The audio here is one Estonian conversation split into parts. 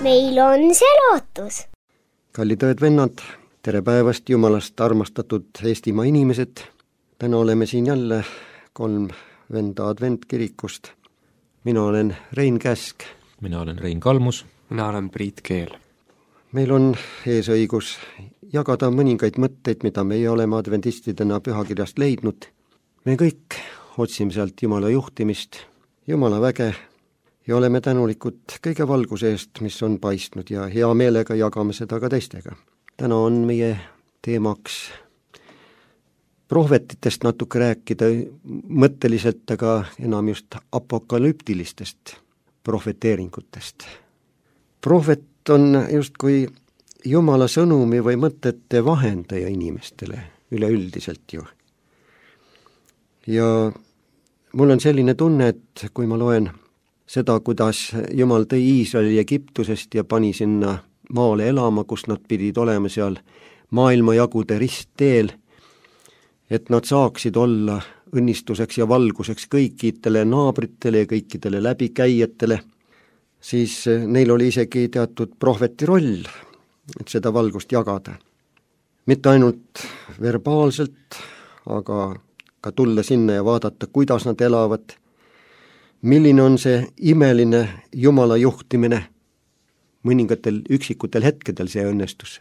meil on see lootus. Kallid õed-vennad, tere päevast Jumalast armastatud Eestimaa inimesed. Täna oleme siin jälle 3 venda adventkirikust. Mina olen Rein Käsk. Mina olen Rein Kalmus. Mina olen Priit Keel. Meil on eesõigus jagada mõningaid mõtteid, mida meie oleme adventistidena pühakirjast leidnud. Me kõik otsime sealt Jumala juhtimist, Jumala väge ja oleme tänulikud kõige valguse eest, mis on paistnud ja hea meelega jagame seda ka teistega. Täna on meie teemaks prohvetitest natuke rääkida mõtteliselt, aga enam just apokalüptilistest prohveteeringutest. Prohvet on justkui Jumala sõnumi või mõtete vahendaja inimestele üleüldiselt ju. Ja mul on selline tunne, et kui ma loen seda, kuidas Jumal tõi Iisraeli Egiptusest ja pani sinna maale elama, kus nad pidid olema seal maailmajagude ristteel, et nad saaksid olla õnnistuseks ja valguseks kõikidele naabritele ja kõikidele läbikäijatele, siis neil oli isegi teatud prohveti roll, et seda valgust jagada. Mitte ainult verbaalselt, aga ka tulla sinna ja vaadata, kuidas nad elavad, milline on see imeline Jumala juhtimine. Mõningatel üksikutel hetkedel see õnnestus,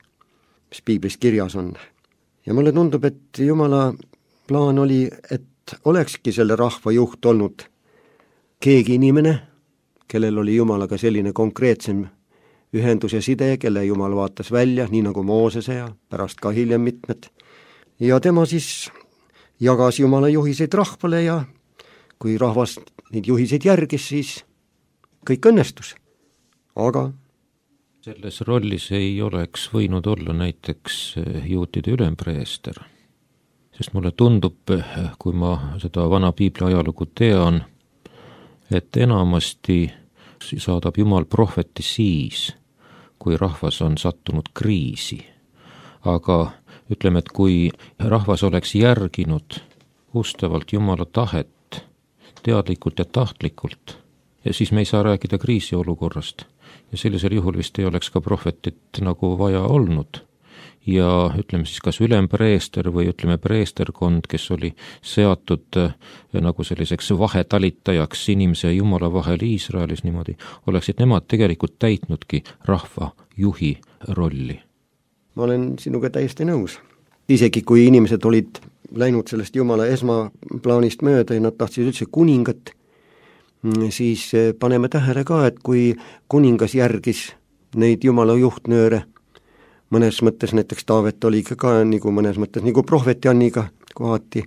mis piiblis kirjas on. Ja mulle tundub, et Jumala plaan oli, et olekski selle rahva juht olnud keegi inimene, kellel oli Jumalaga selline konkreetsem ühendus ja side, kelle Jumal vaatas välja, nii nagu Moosese ja pärast ka hiljem mitmed. Ja tema siis jagas Jumala juhiseid rahvale ja kui rahvas neid juhiseid järgis, siis kõik õnnestus. Aga selles rollis ei oleks võinud olla näiteks juutide ülempreester, sest mulle tundub, kui ma seda vana piibli ajalugu tean, et enamasti saadab Jumal prohveti siis, kui rahvas on sattunud kriisi. Aga ütleme, et kui rahvas oleks järginud ustavalt Jumala tahet, teadlikult ja tahtlikult, ja siis me ei saa rääkida kriisiolukorrast. Ja sellisel juhul vist ei oleks ka prohvetit nagu vaja olnud. Ja ütleme siis kas ülempreester või ütleme preesterkond, kes oli seatud nagu selliseks vahetalitajaks inimese ja Jumala vahel Iisraelis niimoodi, oleksid nemad tegelikult täitnudki rahva juhi rolli. Ma olen sinuga täiesti nõus. Isegi kui inimesed olid läinud sellest Jumala esmaplaanist mööda ja nad tahtsid üldse kuningat, siis paneme tähele ka, et kui kuningas järgis neid Jumala juhtnööre, mõnes mõttes näiteks Taavet oli ka nagu mõnes mõttes nagu prohveti Anniga kohati,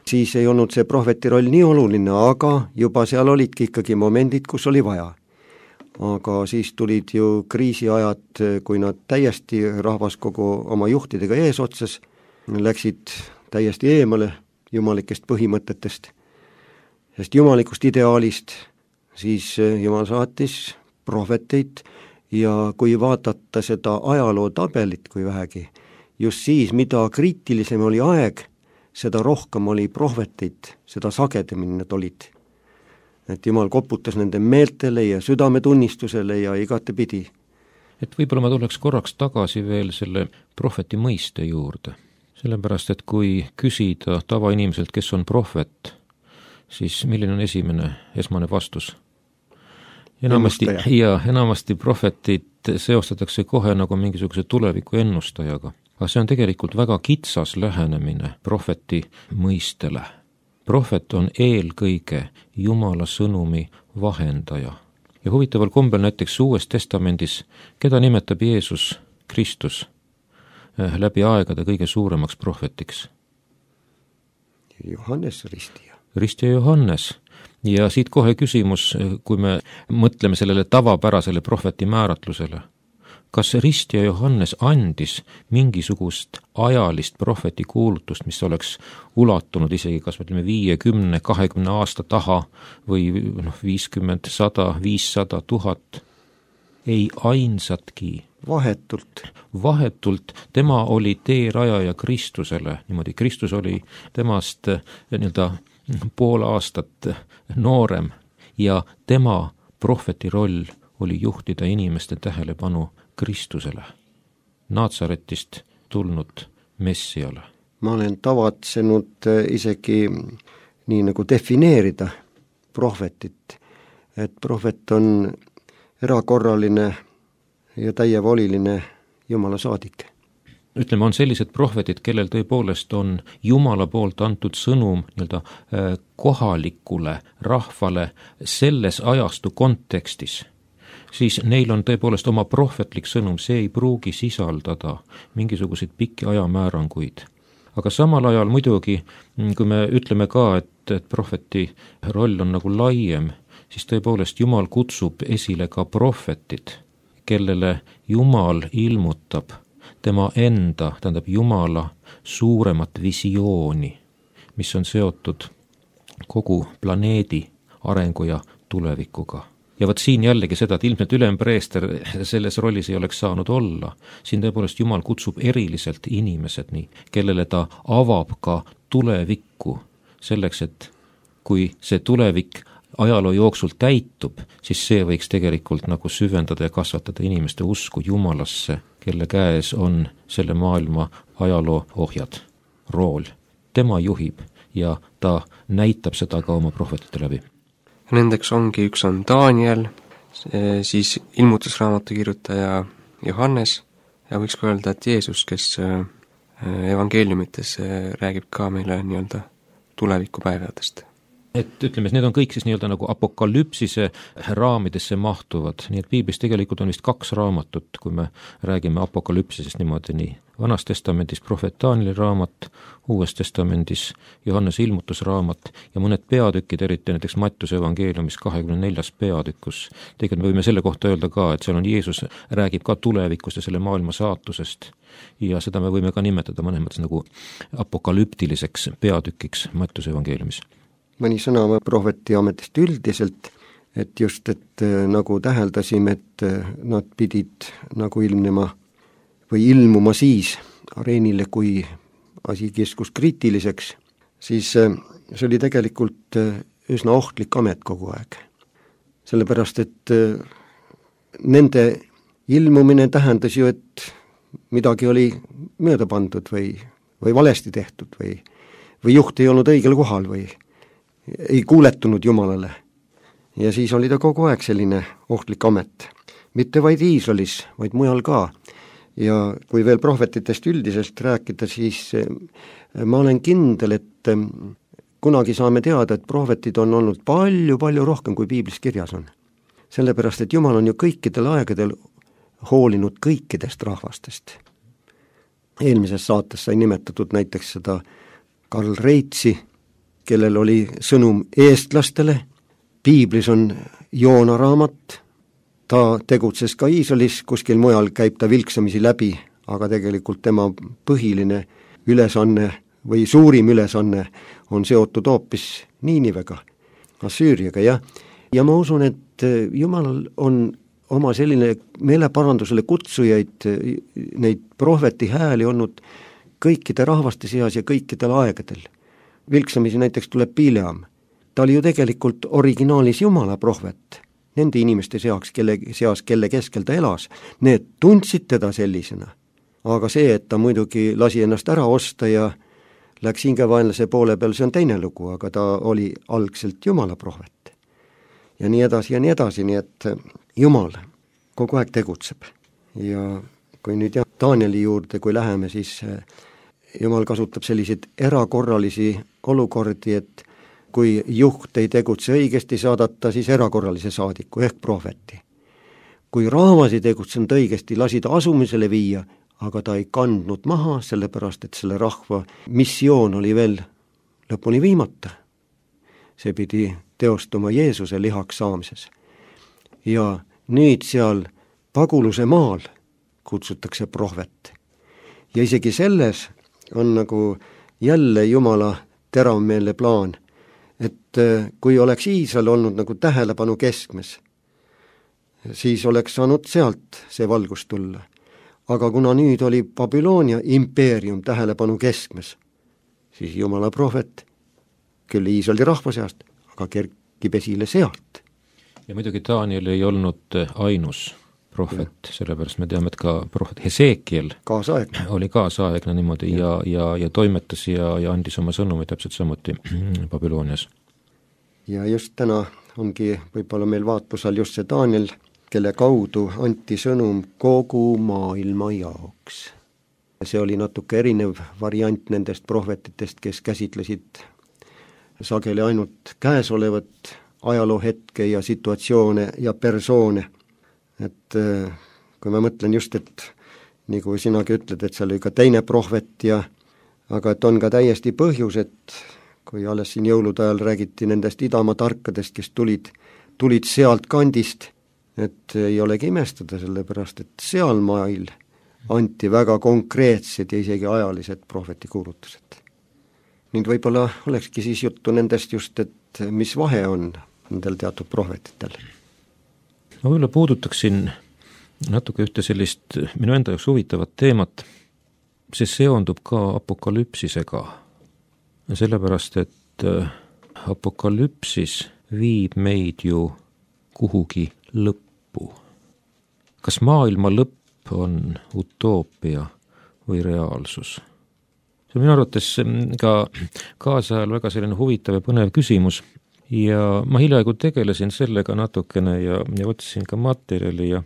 siis ei olnud see prohveti roll nii oluline, aga juba seal olidki ikkagi momendid, kus oli vaja. Aga siis tulid ju kriisiajad, kui nad täiesti rahvas kogu oma juhtidega eesotsas läksid täiesti eemale jumalikest põhimõtetest, sest jumalikust ideaalist, siis Jumal saatis prohveteid ja kui vaadata seda ajaloo tabelit kui vähegi, just siis, mida kriitilisem oli aeg, seda rohkem oli prohveteid, seda sagedamini nad olid. Et Jumal koputas nende meeltele ja südametunnistusele ja igatepidi. Et võib-olla ma tuleks korraks tagasi veel selle prohveti mõiste juurde. Sellepärast, et kui küsida tavainimeselt, kes on prohvet, siis milline on esmane vastus? Enamasti prohvetit seostatakse kohe nagu mingisuguse tuleviku ennustajaga. Aga see on tegelikult väga kitsas lähenemine prohveti mõistele. Prohvet on eelkõige Jumala sõnumi vahendaja. Ja huvitaval kombel näiteks Uues Testamendis, keda nimetab Jeesus Kristus läbi aegade kõige suuremaks prohvetiks? Johannes Ristija. Ristija Johannes. Ja siit kohe küsimus, kui me mõtleme sellele tavapärasele prohveti määratlusele. Kas Ristija Johannes andis mingisugust ajalist prohveti kuulutust, mis oleks ulatunud isegi kas me ütleme 5, 10, 20 aasta taha või 50, 100, 500, 1000? Ei ainsatki. Vahetult. Tema oli teerajaja Kristusele. Niimoodi Kristus oli temast pool aastat noorem ja tema prohveti roll oli juhtida inimeste tähelepanu Kristusele, Naatsaretist tulnud Messiale. Ma olen tavatsenud isegi nii nagu defineerida prohvetit, et prohvet on erakorraline ja täievoliline Jumala saadik. Ütleme, on sellised prohvetid, kellel tõepoolest on Jumala poolt antud sõnum nii-öelda kohalikule rahvale selles ajastu kontekstis, siis neil on tõepoolest oma prohvetlik sõnum, see ei pruugi sisaldada mingisuguseid pikki ajamääranguid. Aga samal ajal muidugi, kui me ütleme ka, et prohveti roll on nagu laiem, siis tõepoolest Jumal kutsub esile ka prohvetid, kellele Jumal ilmutab tema enda, tähendab Jumala suuremat visiooni, mis on seotud kogu planeedi arengu ja tulevikuga. Ja võt siin jällegi seda, et ilmselt ülempreester selles rollis ei oleks saanud olla. Siin tõepoolest Jumal kutsub eriliselt inimesed nii, kellele ta avab ka tulevikku selleks, et kui see tulevik ajaloo jooksul täitub, siis see võiks tegelikult nagu süvendada ja kasvatada inimeste usku Jumalasse, kelle käes on selle maailma ajaloo ohjad, rool. Tema juhib ja ta näitab seda ka oma prohvetite läbi. Nendeks ongi, üks on Daniel, siis ilmutusraamatu kirjutaja Johannes ja võiks ka öelda, et Jeesus, kes evangeeliumites räägib ka meile nii-öelda tulevikupäevadest. Et ütleme, need on kõik siis nii-öelda nagu apokalüpsise raamidesse mahtuvad, nii et piiblis tegelikult on vist 2 raamatut, kui me räägime apokalüpsisest niimoodi nii. Vanas testamendis prohvet Danieli raamat, Uues testamendis Johannese ilmutusraamat ja mõned peatükid, eriti näiteks Mattuse evangeeliumis 24. peatükkus. Tegelikult me võime selle kohta öelda ka, et seal on Jeesus räägib ka tulevikust ja selle maailma saatusest ja seda me võime ka nimetada mõnes mõttes nagu apokalüptiliseks peatükiks Mattuse evangeeliumis. Mõni sõna prohveti ametist üldiselt, et just, et nagu täheldasime, et nad pidid nagu ilmuma siis areenile, kui asi kiskus kriitiliseks, siis see oli tegelikult üsna ohtlik amet kogu aeg. Sellepärast, et nende ilmumine tähendas ju, et midagi oli mööda pandud või valesti tehtud või juht ei olnud õigel kohal või ei kuuletunud Jumalale. Ja siis oli ta kogu aeg selline ohtlik amet. Mitte vaid Iisraelis, vaid mujal ka. Ja kui veel prohvetitest üldiselt rääkida, siis ma olen kindel, et kunagi saame teada, et prohvetid on olnud palju rohkem, kui piiblis kirjas on. Sellepärast, et Jumal on ju kõikidel aegadel hoolinud kõikidest rahvastest. Eelmises saates sai nimetatud näiteks seda Karl Reitsi, kellel oli sõnum eestlastele. Piiblis on Joona raamat, ta tegutses ka Iisraelis, kuskil mujal käib ta vilksamisi läbi, aga tegelikult tema põhiline ülesanne või suurim ülesanne on seotud hoopis Niinivega, Assüüriaga, jah. Ja ma usun, et Jumalal on oma selline meeleparandusele kutsujaid, neid prohveti hääli olnud kõikide rahvaste seas ja kõikidel aegadel. Vilksamisi näiteks tuleb Bileam. Ta oli ju tegelikult originaalis Jumala prohvet. Nende inimeste seas, kelle keskel ta elas, need tundsid teda sellisena. Aga see, et ta muidugi lasi ennast ära osta ja läks hingevaenlase poole peal, see on teine lugu, aga ta oli algselt Jumala prohvet. Ja nii edasi, nii et Jumal kogu aeg tegutseb. Ja kui nüüd Danieli juurde, kui läheme, siis Jumal kasutab selliseid erakorralisi olukordi, et kui juht ei tegutse õigesti, saadata siis erakorralise saadiku ehk prohveti. Kui rahvas ei tegutsenud õigesti, lasi ta asumisele viia, aga ta ei kandnud maha, sellepärast et selle rahva missioon oli veel lõpuni viimata. See pidi teostuma Jeesuse lihaks saamises. Ja nüüd seal paguluse maal kutsutakse prohvet. Ja isegi selles on nagu jälle Jumala teravmeelne plaan, et kui oleks Iisrael olnud nagu tähelepanu keskmes, siis oleks saanud sealt see valgus tulla. Aga kuna nüüd oli Babyloonia impeerium tähelepanu keskmes, siis Jumala prohvet, küll Iisraeli rahva seast, aga kerkib esile sealt. ja muidugi Daniel ei olnud ainus prohvet, sellepärast me teame, et ka prohvet Hesekiel oli kaasaegne niimoodi ja toimetas ja andis oma sõnumi täpselt samuti Babylonias. Ja just täna ongi võib-olla meil vaatluse all just see Daniel, kelle kaudu anti sõnum kogu maailma jaoks. See oli natuke erinev variant nendest prohvetitest, kes käsitlesid sageli ainult käesolevat ajaloohetke ja situatsioone ja persoone. Et kui ma mõtlen just, et nagu sinagi ütled, et seal oli ka teine prohvet aga et on ka täiesti põhjus, et kui alles siin jõulude ajal räägiti nendest idamaa tarkadest, kes tulid sealt kandist, et ei olegi imestada, sellepärast et seal mail anti väga konkreetsed ja isegi ajalised prohvetikuulutused. Nüüd võib-olla olekski siis juttu nendest just, et mis vahe on nendel teatud prohvetitel. Ma võib-olla puudutaksin natuke ühte sellist minu enda jaoks huvitavat teemat. See seondub ka apokalüpsisega, sellepärast et apokalüpsis viib meid ju kuhugi lõppu. Kas maailma lõpp on utoopia või reaalsus? See on minu arvates ka kaasajal väga selline huvitav ja põnev küsimus ja ma hiljaaegu tegelesin sellega natukene ja otsisin ka materjali ja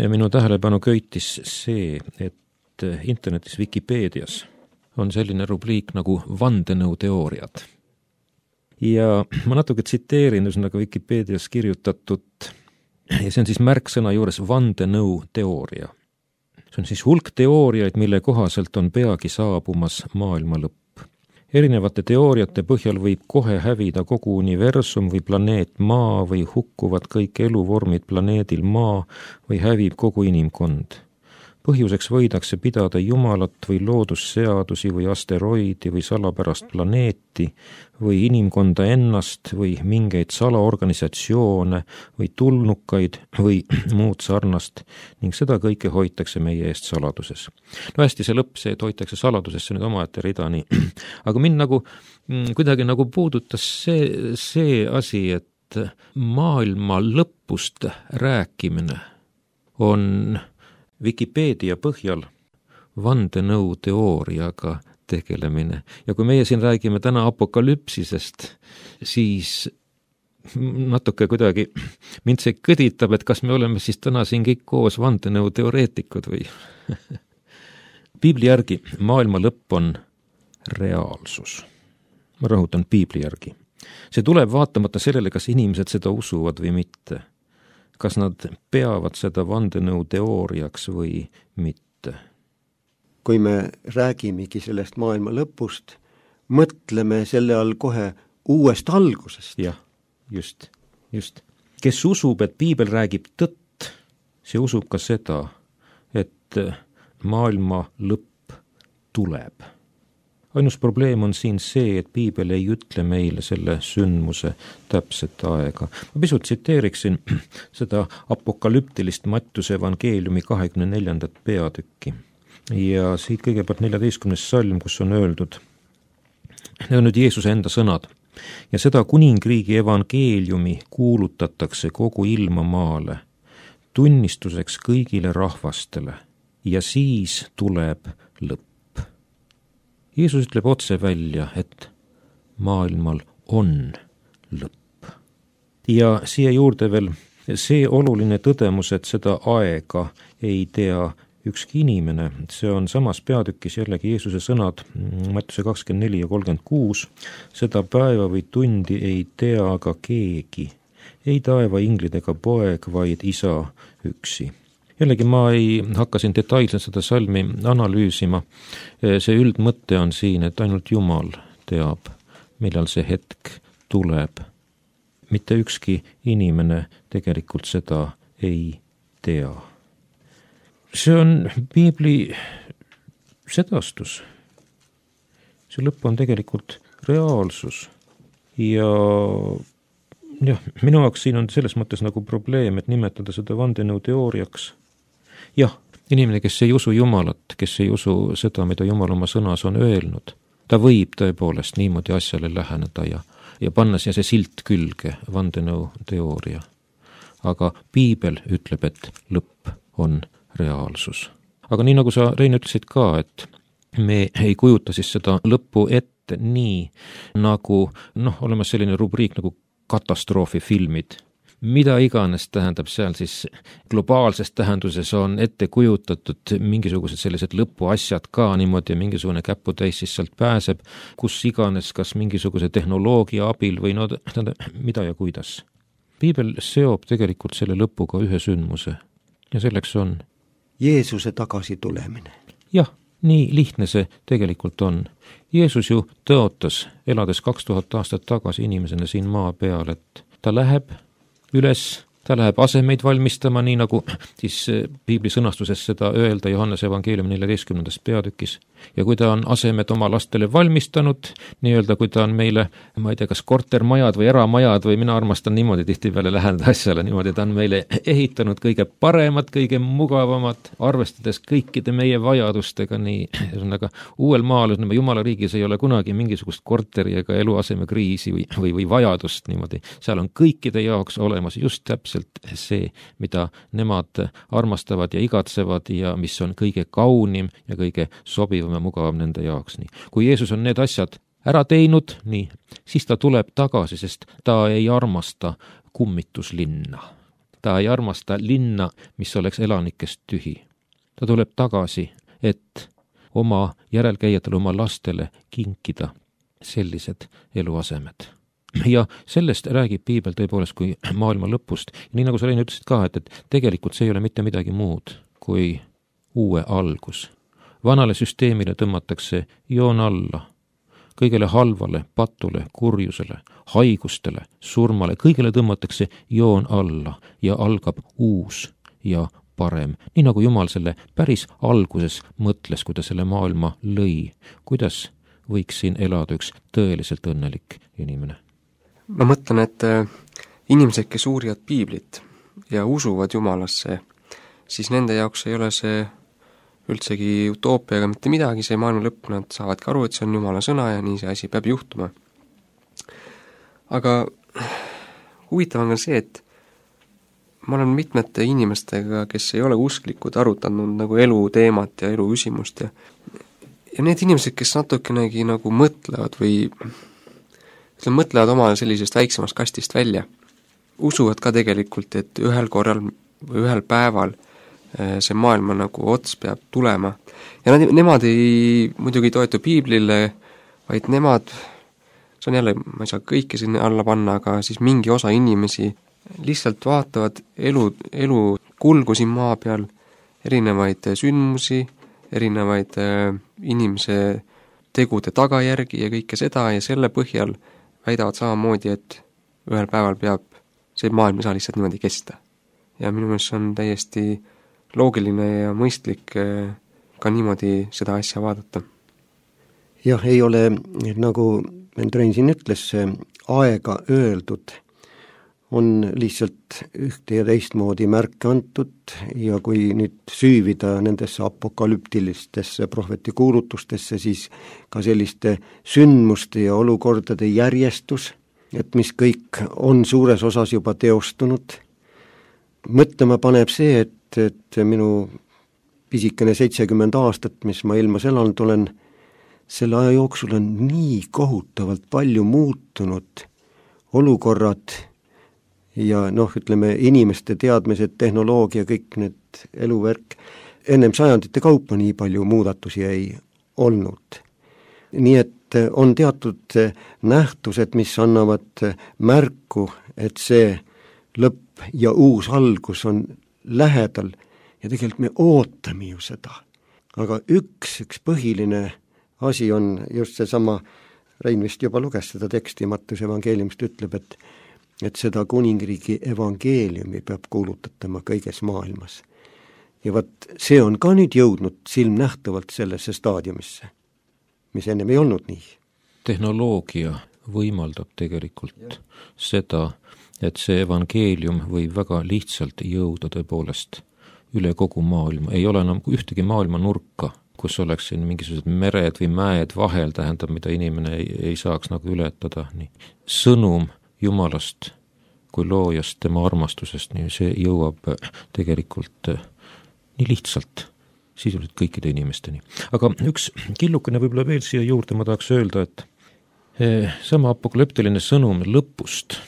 minu tähelepanu köitis see, et internetis Wikipeedias on selline rubriik nagu vandenõuteooriad. Ja ma natuke tsiteerin üsnaga Wikipeedias kirjutatut ja see on siis märksõna juures vandenõuteooria. See on siis hulk teooriaid, mille kohaselt on peagi saabumas maailma lõpp. Erinevate teooriate põhjal võib kohe hävida kogu universum või planeet Maa või hukkuvad kõik eluvormid planeedil Maa või hävib kogu inimkond. Põhjuseks võidakse pidada Jumalat või loodusseadusi või asteroidi või salapärast planeeti või inimkonda ennast või mingeid salaorganisatsioone või tulnukaid või muud sarnast ning seda kõike hoitakse meie eest saladuses. No hästi, see lõpp, see, et hoitakse saladusesse nüüd omaette rida nii. Aga mind nagu kuidagi nagu puudutas see asi, et maailma lõpust rääkimine on Wikipeedia põhjal vandenõuteooriaga tegelemine. Ja kui meie siin räägime täna apokalüpsisest, siis natuke kuidagi mind see kõditab, et kas me oleme siis täna siin kõik koos vandenõuteoreetikud või? Piibli järgi maailma lõpp on reaalsus. Ma rõhutan piibli järgi. See tuleb vaatamata sellele, kas inimesed seda usuvad või mitte. Kas nad peavad seda vandenõuteooriaks või mitte? Kui me räägimegi sellest maailma lõpust, mõtleme selle all kohe uuest algusest. Jah, just. Kes usub, et piibel räägib tõtt, see usub ka seda, et maailma lõpp tuleb. Ainus probleem on siin see, et piibel ei ütle meile selle sündmuse täpset aega. Ma pisut tsiteeriksin seda apokalüptilist Mattiuse evangeeliumi 24. peatükki. Ja siit kõigepealt 14. salm, kus on öeldud, need on nüüd Jeesuse enda sõnad, ja seda kuningriigi evangeeliumi kuulutatakse kogu ilmamaale, tunnistuseks kõigile rahvastele, ja siis tuleb lõpp. Jeesus ütleb otse välja, et maailmal on lõpp. Ja siia juurde veel see oluline tõdemus, et seda aega ei tea ükski inimene. See on samas peatükis jällegi Jeesuse sõnad, Mattiuse 24 ja 36. Seda päeva või tundi ei tea aga keegi, ei taeva inglid ega poeg, vaid isa üksi. Jällegi ma ei hakka siin detailselt seda salmi analüüsima. See üldmõte on siin, et ainult Jumal teab, millal see hetk tuleb. Mitte ükski inimene tegelikult seda ei tea. See on piibli sedastus. See lõpp on tegelikult reaalsus. Ja minu jaoks siin on selles mõttes nagu probleem, et nimetada seda vandenõuteooriaks. Jah, inimene, kes ei usu Jumalat, kes ei usu seda, mida Jumal oma sõnas on öelnud, ta võib tõepoolest niimoodi asjale läheneda ja panna siia see silt külge, vandenõuteooria. aga piibel ütleb, et lõpp on reaalsus. Aga nii nagu sa, Rein, ütlesid ka, et me ei kujuta siis seda lõppu ette nii, nagu olemas selline rubriik nagu katastroofifilmid. Mida iganes tähendab seal siis globaalses tähenduses on ette kujutatud mingisugused sellised lõpuasjad ka niimoodi ja mingisugune käputäis siis sealt pääseb, kus iganes, kas mingisuguse tehnoloogia abil või mida ja kuidas. Piibel seob tegelikult selle lõpuga ühe sündmuse ja selleks on Jeesuse tagasitulemine. Jah, nii lihtne see tegelikult on. Jeesus ju tõotas, elades 2000 aastat tagasi inimesena siin maa peal, et ta läheb üles, ta läheb asemeid valmistama, nii nagu siis piibli sõnastuses seda öelda Johannese evangeeliumi 14. peatükis. Ja kui ta on asemed oma lastele valmistanud, nii-öelda kui ta on meile, ma ei tea, kas kortermajad või eramajad või mina armastan niimoodi tihtipeale läheneda asjale, niimoodi ta on meile ehitanud kõige paremad, kõige mugavamad, arvestades kõikide meie vajadustega, nii ühesõnaga uuel maal, Jumala riigis ei ole kunagi mingisugust korteri ega eluaseme kriisi või vajadust niimoodi. Seal on kõikide jaoks olemas just täpselt see, mida nemad armastavad ja igatsevad ja mis on kõige kaunim ja kõige sobivam ja mugavam nende jaoks. Nii. Kui Jeesus on need asjad ära teinud, nii, siis ta tuleb tagasi, sest ta ei armasta kummituslinna. Ta ei armasta linna, mis oleks elanikest tühi. Ta tuleb tagasi, et oma järelkäijatele, oma lastele kinkida sellised eluasemed. Ja sellest räägib piibel tõepoolest kui maailma lõpust. Ja nii nagu sa, Rein, ütlesid ka, et tegelikult see ei ole mitte midagi muud kui uue algus. Vanale süsteemile tõmmatakse joon alla, kõigele halvale, patule, kurjusele, haigustele, surmale, kõigele tõmmatakse joon alla ja algab uus ja parem. Nii nagu Jumal selle päris alguses mõtles, kui ta selle maailma lõi, kuidas võiks siin elada üks tõeliselt õnnelik inimene. Ma mõtlen, et inimesed, kes uurivad piiblit ja usuvad Jumalasse, siis nende jaoks ei ole see üldsegi utoopiaga mitte midagi, see maailma lõpp, nad saavadki aru, et see on Jumala sõna ja nii see asi peab juhtuma. Aga huvitav on ka see, et ma olen mitmete inimestega, kes ei ole usklikud, arutanud nagu elu teemat ja elu küsimust ja need inimesed, kes natukenegi nagu mõtlevad või mõtlevad oma sellisest väiksemast kastist välja, usuvad ka tegelikult, et ühel korral või ühel päeval see maailma nagu ots peab tulema. Ja nemad ei muidugi toetu piiblile, vaid nemad, see on jälle, ma ei saa kõike sinna alla panna, aga siis mingi osa inimesi lihtsalt vaatavad elu kulgu siin maa peal, erinevaid sündmusi, erinevaid inimese tegude tagajärgi ja kõike seda ja selle põhjal väidavad samamoodi, et ühel päeval peab see maailm ei saa lihtsalt niimoodi kesta. Ja minu meelest on täiesti loogiline ja mõistlik ka niimoodi seda asja vaadata. Jah, ei ole, nagu Rein siin ütles, aega öeldud, on lihtsalt ühte ja teistmoodi märke antud ja kui nüüd süüvida nendesse apokalüptilistesse prohvetikuulutustesse, siis ka selliste sündmuste ja olukordade järjestus, et mis kõik on suures osas juba teostunud. Mõtlema paneb see, et minu pisikene 70 aastat, mis ma ilmas elanud olen, selle aja jooksul on nii kohutavalt palju muutunud olukorrad ja ütleme, inimeste teadmised, tehnoloogia, kõik need eluvärk. Ennem sajandite kaupa nii palju muudatusi ei olnud. Nii et on teatud nähtused, mis annavad märku, et see lõpp ja uus algus on lähedal ja tegelikult me ootame ju seda. Aga üks põhiline asi on just seesama, Rein vist juba luges seda teksti, Mattuse evangeeliumist ütleb, et seda kuningriigi evangeeliumi peab kuulutatama kõiges maailmas. Ja see on ka nüüd jõudnud silmnähtavalt sellesse staadiumisse, mis ennem ei olnud nii. Tehnoloogia võimaldab tegelikult seda, et see evangeelium võib väga lihtsalt jõuda tõepoolest üle kogu maailma. Ei ole enam ühtegi maailma nurka, kus oleks siin mingisugused mered või mäed vahel, tähendab, mida inimene ei saaks nagu ületada. Nii. Sõnum Jumalast kui loojast, tema armastusest, nii see jõuab tegelikult nii lihtsalt sisuliselt kõikide inimesteni. Aga üks killukene võib-olla veel siia juurde ma tahaks öelda, et sama apokalüptiline sõnum lõpust,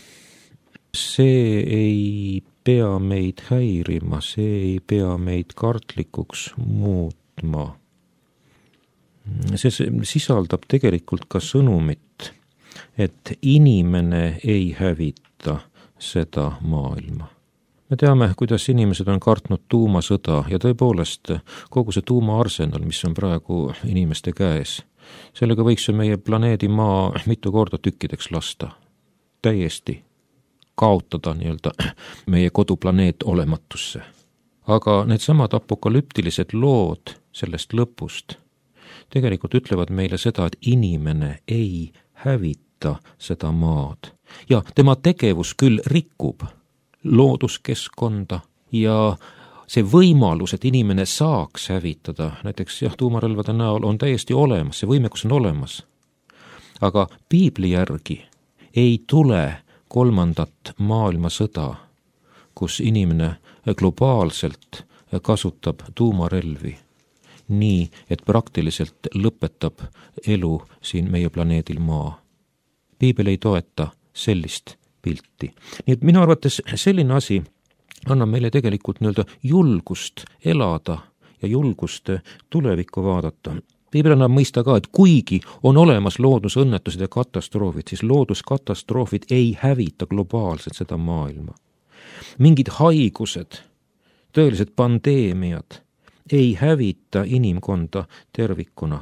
see ei pea meid häirima, see ei pea meid kartlikuks muutma. See sisaldab tegelikult ka sõnumit, et inimene ei hävita seda maailma. Me teame, kuidas inimesed on kartnud tuumasõda ja tõepoolest kogu see tuumaarsenal, mis on praegu inimeste käes, sellega võiks ju meie planeedi maa mitu korda tükkideks lasta. Täiesti kaotada nii-öelda meie koduplaneet olematusse. Aga need samad apokalüptilised lood sellest lõpust tegelikult ütlevad meile seda, et inimene ei hävita seda maad. Ja tema tegevus küll rikub looduskeskkonda ja see võimalus, et inimene saaks hävitada, näiteks tuumarelvade näol on täiesti olemas, see võimekus on olemas. Aga piibli järgi ei tule 3. maailmasõda, kus inimene globaalselt kasutab tuumarelvi nii, et praktiliselt lõpetab elu siin meie planeedil maa. Piibel ei toeta sellist pilti. Nii et minu arvates selline asi annab meile tegelikult nii-öelda julgust elada ja julgust tulevikku vaadata. Piibel annab mõista ka, et kuigi on olemas loodusõnnetused ja katastroofid, siis looduskatastroofid ei hävita globaalselt seda maailma. Mingid haigused, tõelised pandeemiad ei hävita inimkonda tervikuna.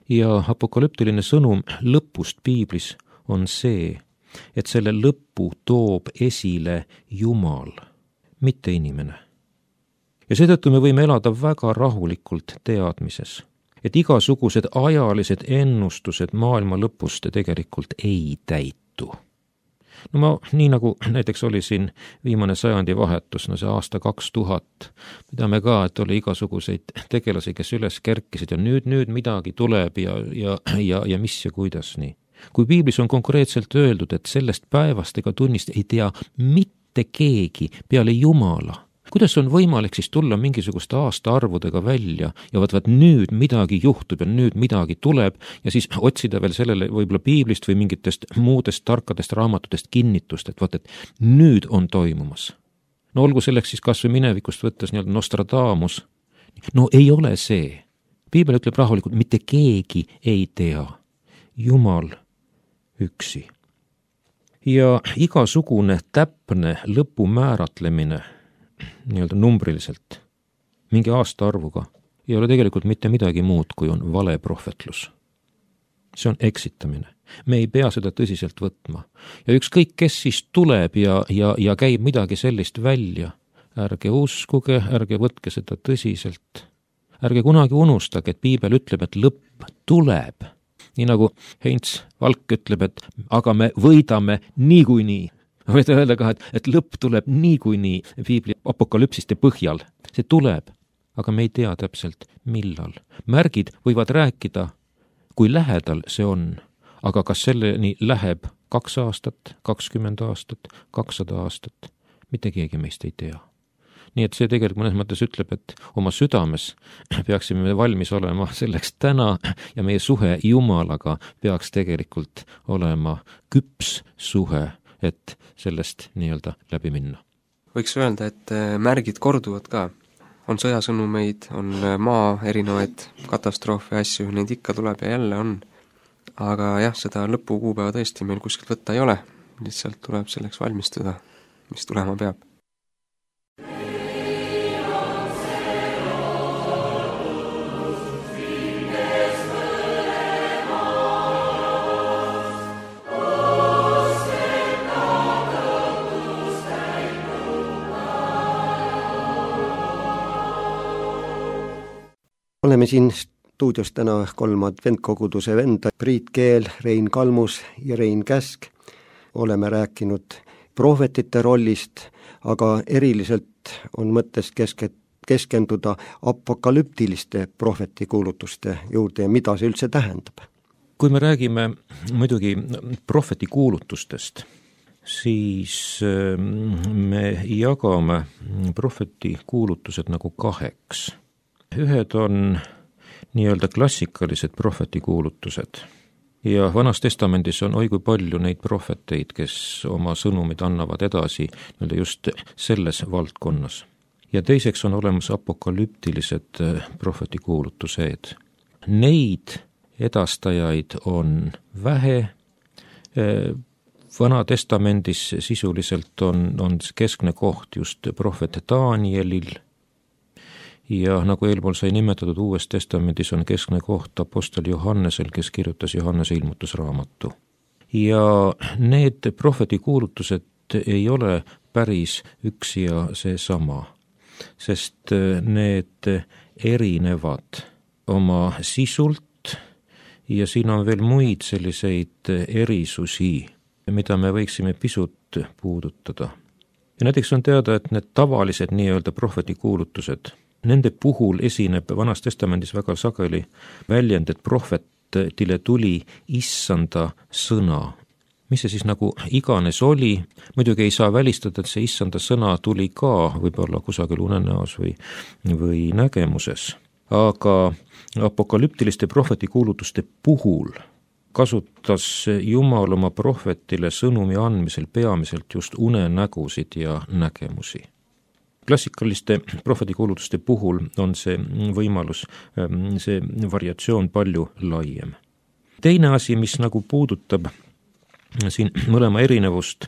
Ja apokalüptiline sõnum lõpust piiblis on see, et selle lõppu toob esile Jumal, mitte inimene. Ja seetõttu me võime elada väga rahulikult teadmises, et igasugused ajalised ennustused maailma lõpust tegelikult ei täitu. No ma, nii nagu näiteks oli siin viimane sajandi vahetus, no see aasta 2000, me teame ka, et oli igasuguseid tegelasi, kes üles kerkisid ja nüüd midagi tuleb ja mis ja kuidas nii. Kui piiblis on konkreetselt öeldud, et sellest päevast ega tunnist ei tea mitte keegi peale Jumala, kuidas on võimalik siis tulla mingisuguste aastaarvudega välja ja vaat nüüd midagi juhtub ja nüüd midagi tuleb ja siis otsida veel sellele võib-olla piiblist või mingitest muudest tarkadest raamatutest kinnitust, et vaat, et nüüd on toimumas. No olgu selleks siis kas või minevikust võttes nii-öelda Nostradamus. No ei ole see. Piibel ütleb rahulikult, mitte keegi ei tea. Jumal üksi. Ja igasugune täpne lõpu määratlemine nii-öelda numbriliselt, mingi aastaarvuga, ei ole tegelikult mitte midagi muud, kui on vale prohvetlus. See on eksitamine. Me ei pea seda tõsiselt võtma. Ja ükskõik, kes siis tuleb ja käib midagi sellist välja, ärge uskuge, ärge võtke seda tõsiselt. Ärge kunagi unustage, et piibel ütleb, et lõpp tuleb. Nii nagu Heinz Valk ütleb, et aga me võidame niikuinii. Võite öelda ka, et lõpp tuleb niikuinii piibli apokalüpsiste põhjal. See tuleb, aga me ei tea täpselt millal. Märgid võivad rääkida, kui lähedal see on, aga kas selleni läheb 2 aastat, 20 aastat, 200 aastat, mitte keegi meist ei tea. Nii et see tegelikult mõnes mõttes ütleb, et oma südames peaksime valmis olema selleks täna ja meie suhe Jumalaga peaks tegelikult olema küps suhe, et sellest nii-öelda läbi minna. Võiks öelda, et märgid korduvad ka. On sõjasõnumeid, on maa erinevaid katastroofe ja asju, neid ikka tuleb ja jälle on. Aga jah, seda lõpukuupäeva tõesti meil kuskilt võtta ei ole. Lihtsalt tuleb selleks valmistuda, mis tulema peab. Oleme siin stuudios täna 3 adventkoguduse venda, Priit Keel, Rein Kalmus ja Rein Käsk. Oleme rääkinud prohvetite rollist, aga eriliselt on mõttes keskenduda apokalüptiliste prohvetikuulutuste juurde ja mida see üldse tähendab. Kui me räägime muidugi prohvetikuulutustest, siis me jagame prohveti kuulutused nagu kaheks. Ühed on nii-öelda klassikalised prohveti kuulutused ja Vanas Testamendis on oi kui palju neid prohveteid, kes oma sõnumid annavad edasi nii-öelda just selles valdkonnas. Ja teiseks on olemas apokalüptilised prohveti kuulutused. Neid edastajaid on vähe. Vana Testamendis sisuliselt on keskne koht just prohvet Danielil ja nagu eelpool sai nimetatud, Uues Testamendis on keskne koht apostel Johannesel, kes kirjutas Johannese ilmutusraamatu. Ja need prohveti kuulutused ei ole päris üks ja seesama, sest need erinevad oma sisult ja siin on veel muid selliseid erisusi, mida me võiksime pisut puudutada. Ja näiteks on teada, et need tavalised nii-öelda prohveti kuulutused, nende puhul esineb Vanas Testamendis väga sageli väljend, et prohvetile tuli issanda sõna. Mis see siis nagu iganes oli, muidugi ei saa välistada, et see issanda sõna tuli ka võib-olla kusagil unenäos või nägemuses. Aga apokalüptiliste prohveti kuulutuste puhul kasutas Jumal oma prohvetile sõnumi andmisel peamiselt just unenägusid ja nägemusi. Klassikaliste prohvetikuulutuste puhul on see võimalus, see variatsioon palju laiem. Teine asi, mis nagu puudutab siin mõlema erinevust,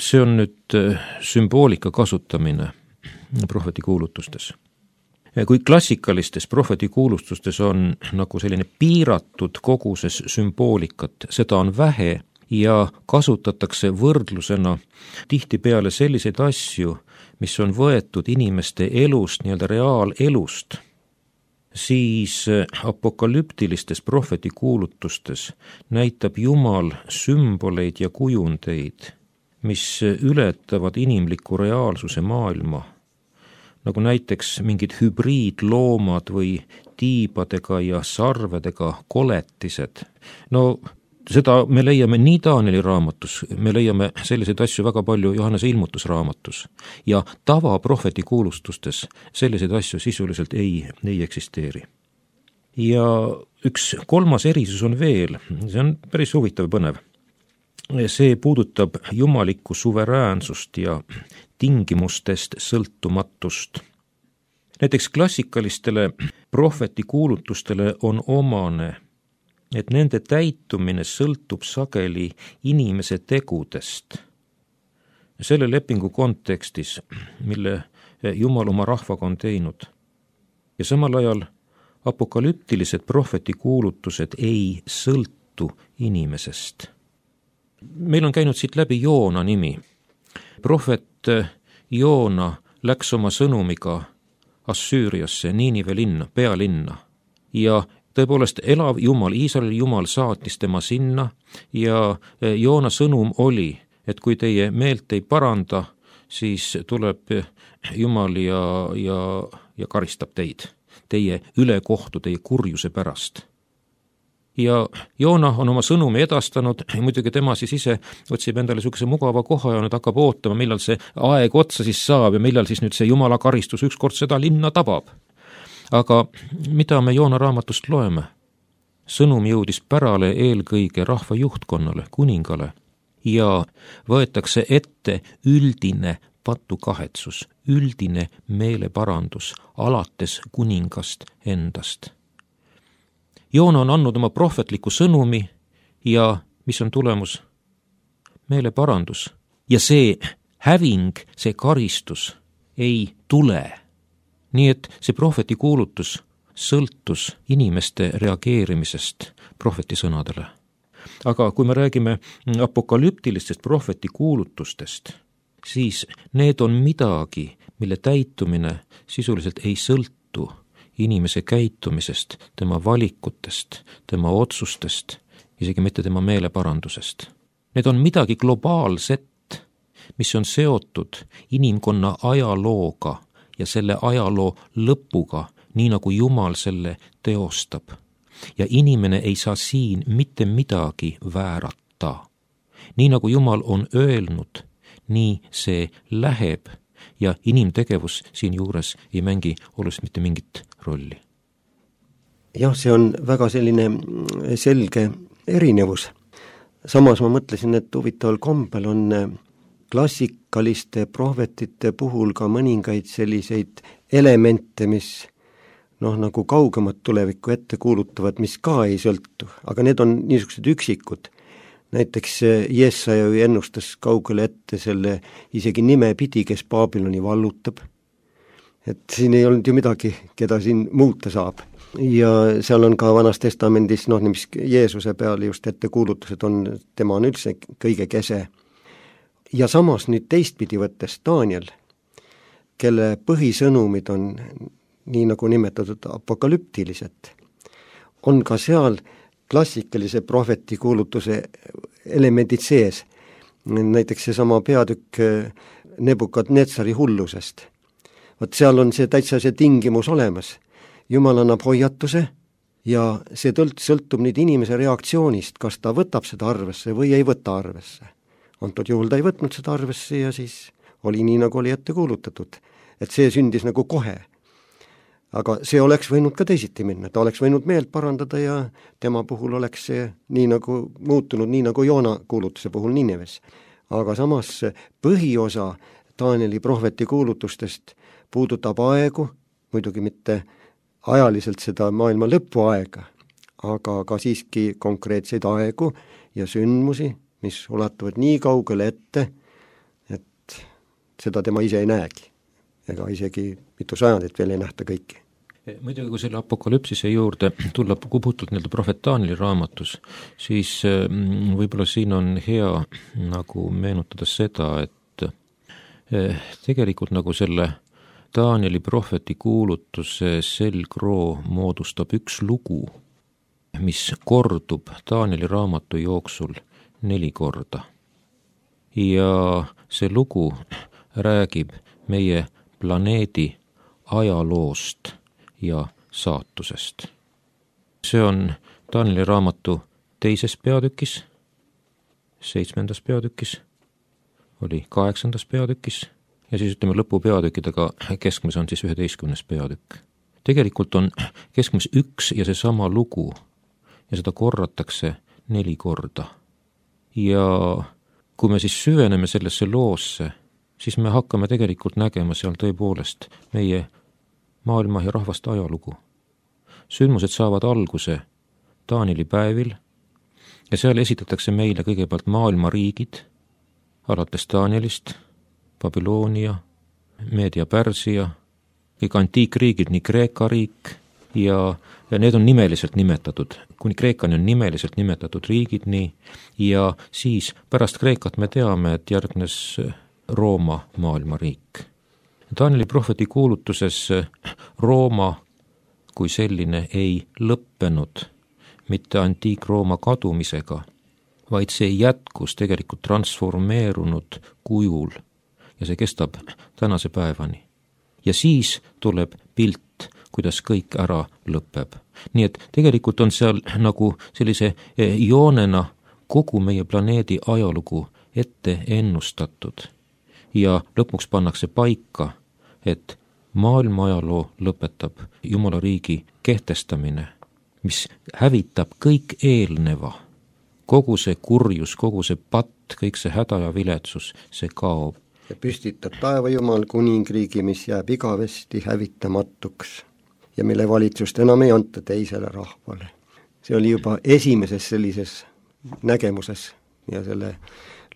see on nüüd sümboolika kasutamine prohvetikuulutustes. Kui klassikalistes prohvetikuulutustes on nagu selline piiratud koguses sümboolikat, seda on vähe ja kasutatakse võrdlusena tihtipeale selliseid asju, mis on võetud inimeste elust, nii-öelda reaalelust, siis apokalüptilistes prohvetikuulutustes näitab Jumal sümboleid ja kujundeid, mis ületavad inimliku reaalsuse maailma, nagu näiteks mingid hübriidloomad või tiibadega ja sarvedega koletised. No seda me leiame nii Danieli raamatus, me leiame selliseid asju väga palju Johannese ilmutusraamatus ja tavaprohveti kuulustustes selliseid asju sisuliselt ei eksisteeri. Ja üks kolmas erisus on veel, see on päris huvitav ja põnev. See puudutab jumalikku suveräänsust ja tingimustest sõltumatust. Näiteks klassikalistele prohveti kuulutustele on omane, et nende täitumine sõltub sageli inimese tegudest. Selle lepingu kontekstis, mille Jumal oma rahvaga on teinud. Ja samal ajal apokalüptilised prohveti kuulutused ei sõltu inimesest. Meil on käinud siit läbi Joona nimi. Prohvet Joona läks oma sõnumiga Assüüriasse, Niinive linna, pealinna ja tõepoolest elav Jumal, Iisraeli Jumal saatis tema sinna ja Joona sõnum oli, et kui teie meelt ei paranda, siis tuleb Jumal ja karistab teid, teie ülekohtu, teie kurjuse pärast. Ja Joona on oma sõnumi edastanud, muidugi tema siis ise otsib endale niisuguse mugava koha ja nüüd hakkab ootama, millal see aeg otsa siis saab ja millal siis nüüd see Jumala karistus ükskord seda linna tabab. Aga mida me Joona raamatust loeme? Sõnum jõudis pärale eelkõige rahva juhtkonnale, kuningale ja võetakse ette üldine patukahetsus, üldine meeleparandus alates kuningast endast. Joona on andnud oma prohvetliku sõnumi ja mis on tulemus? Meeleparandus. Ja see häving, see karistus ei tule. Nii et see prohveti kuulutus sõltus inimeste reageerimisest prohveti sõnadele. Aga kui me räägime apokalüptilistest prohveti kuulutustest, siis need on midagi, mille täitumine sisuliselt ei sõltu inimese käitumisest, tema valikutest, tema otsustest, isegi mitte tema meeleparandusest. Need on midagi globaalset, mis on seotud inimkonna ajalooga ja selle ajaloo lõpuga, nii nagu Jumal selle teostab. Ja inimene ei saa siin mitte midagi väärata. nii nagu Jumal on öelnud, nii see läheb ja inimtegevus siinjuures ei mängi oluliselt mitte mingit rolli. Jah, see on väga selline selge erinevus. Samas ma mõtlesin, et huvitaval kombel on klassikaliste prohvetite puhul ka mõningaid selliseid elemente, mis nagu kaugemat tulevikku ette kuulutavad, mis ka ei sõltu, aga need on niisugused üksikud. Näiteks Jesaja ennustas kaugele ette selle isegi nime pidi, kes Babyloni vallutab. Et siin ei olnud ju midagi, keda siin muuta saab. Ja seal on ka Vanas Testamendis, mis Jeesuse peale just ette kuulutused on, tema on üldse kõige kese. Ja samas nüüd teistpidi võttes Daniel, kelle põhisõnumid on nii nagu nimetatud apokalüptilised, on ka seal klassikalise prohveti kuulutuse elemendid sees. Näiteks seesama peatükk Nebukadnetsari hullusest. Vot seal on see täitsa see tingimus olemas. Jumal annab hoiatuse ja see sõltub nüüd inimese reaktsioonist, kas ta võtab seda arvesse või ei võta arvesse. Antud juhul ta ei võtnud seda arvesse ja siis oli nii, nagu oli ette kuulutatud. Et see sündis nagu kohe. Aga see oleks võinud ka teisiti minna, ta oleks võinud meelt parandada ja tema puhul oleks see nii nagu muutunud, nii nagu Joona kuulutuse puhul Nineves. Aga samas põhiosa Danieli prohveti kuulutustest puudutab aegu, muidugi mitte ajaliselt seda maailma lõpuaega, aga ka siiski konkreetseid aegu ja sündmusi, mis ulatuvad nii kaugele ette, et seda tema ise ei näegi. Ega isegi mitu sajandit veel ei nähta kõiki. Muidugi, kui selle apokalüpsise juurde tulla puhtult nii-öelda prohvet Danieli raamatus, siis võib-olla siin on hea nagu meenutada seda, et tegelikult nagu selle Danieli prohveti kuulutuse selgroo moodustab üks lugu, mis kordub Danieli raamatu jooksul 4 korda. Ja see lugu räägib meie planeedi ajaloost ja saatusest. See on Danieli raamatu 2. peatükis, 7. peatükis, oli 8. peatükis ja siis ütleme lõpupeatükkidega keskmes on siis 11. peatükk. Tegelikult on keskmes üks ja seesama lugu ja seda korratakse 4 korda. Ja kui me siis süveneme sellesse loosse, siis me hakkame tegelikult nägema seal tõepoolest meie maailma ja rahvaste ajalugu. Sündmused saavad alguse Danieli päevil ja seal esitatakse meile kõigepealt maailma riigid, alates Danielist, Babyloonia, Meedia, Pärsia, kõik antiikriigid, nii Kreeka riik ja need on nimeliselt nimetatud, kuni Kreekani on nimeliselt nimetatud riigid nii ja siis pärast Kreekat me teame, et järgnes Rooma maailmariik. Danieli prohveti kuulutuses Rooma kui selline ei lõppenud mitte antiik-Rooma kadumisega, vaid see jätkus tegelikult transformeerunud kujul ja see kestab tänase päevani. Ja siis tuleb pilt, kuidas kõik ära lõpeb. Nii et tegelikult on seal nagu sellise joonena kogu meie planeedi ajalugu ette ennustatud. Ja lõpuks pannakse paika, et maailma ajaloo lõpetab Jumala riigi kehtestamine, mis hävitab kõik eelneva. Kogu see kurjus, kogu see patt, kõik see häda ja viletsus, see kaob. Ja püstitab taeva Jumal kuningriigi, mis jääb igavesti hävitamatuks ja mille valitsust enam ei anta teisele rahvale. See oli juba esimeses sellises nägemuses ja selle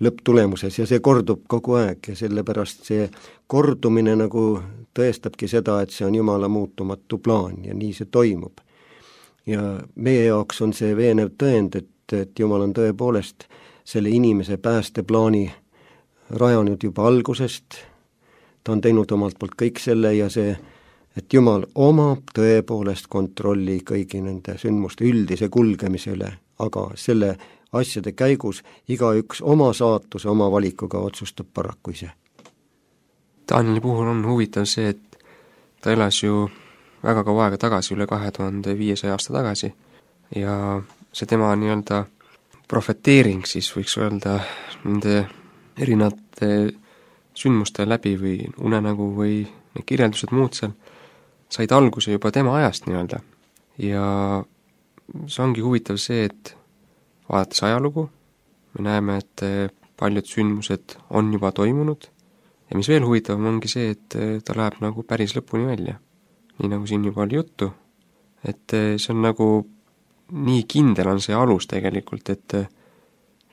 lõpptulemuses ja see kordub kogu aeg ja sellepärast see kordumine nagu tõestabki seda, et see on Jumala muutumatu plaan ja nii see toimub. Ja meie jaoks on see veenev tõend, et Jumal on tõepoolest selle inimese päästeplaani rajanud juba algusest, ta on teinud omalt poolt kõik selle ja see, et Jumal omab tõepoolest kontrolli kõigi nende sündmuste üldise kulgemise üle, aga selle asjade käigus igaüks oma saatuse, oma valikuga otsustab paraku ise. Danieli puhul on huvitav see, et ta elas ju väga kaua aega tagasi, üle 2500 aasta tagasi ja see tema nii-öelda profeteering siis võiks öelda nende erinevate sündmuste läbi või unenägu või need kirjeldused muud seal said alguse juba tema ajast nii-öelda. Ja see ongi huvitav see, et vaadates ajalugu, me näeme, et paljud sündmused on juba toimunud ja mis veel huvitavam ongi see, et ta läheb nagu päris lõpuni välja. Nii nagu siin juba oli juttu, et see on nagu nii kindel on see alus tegelikult, et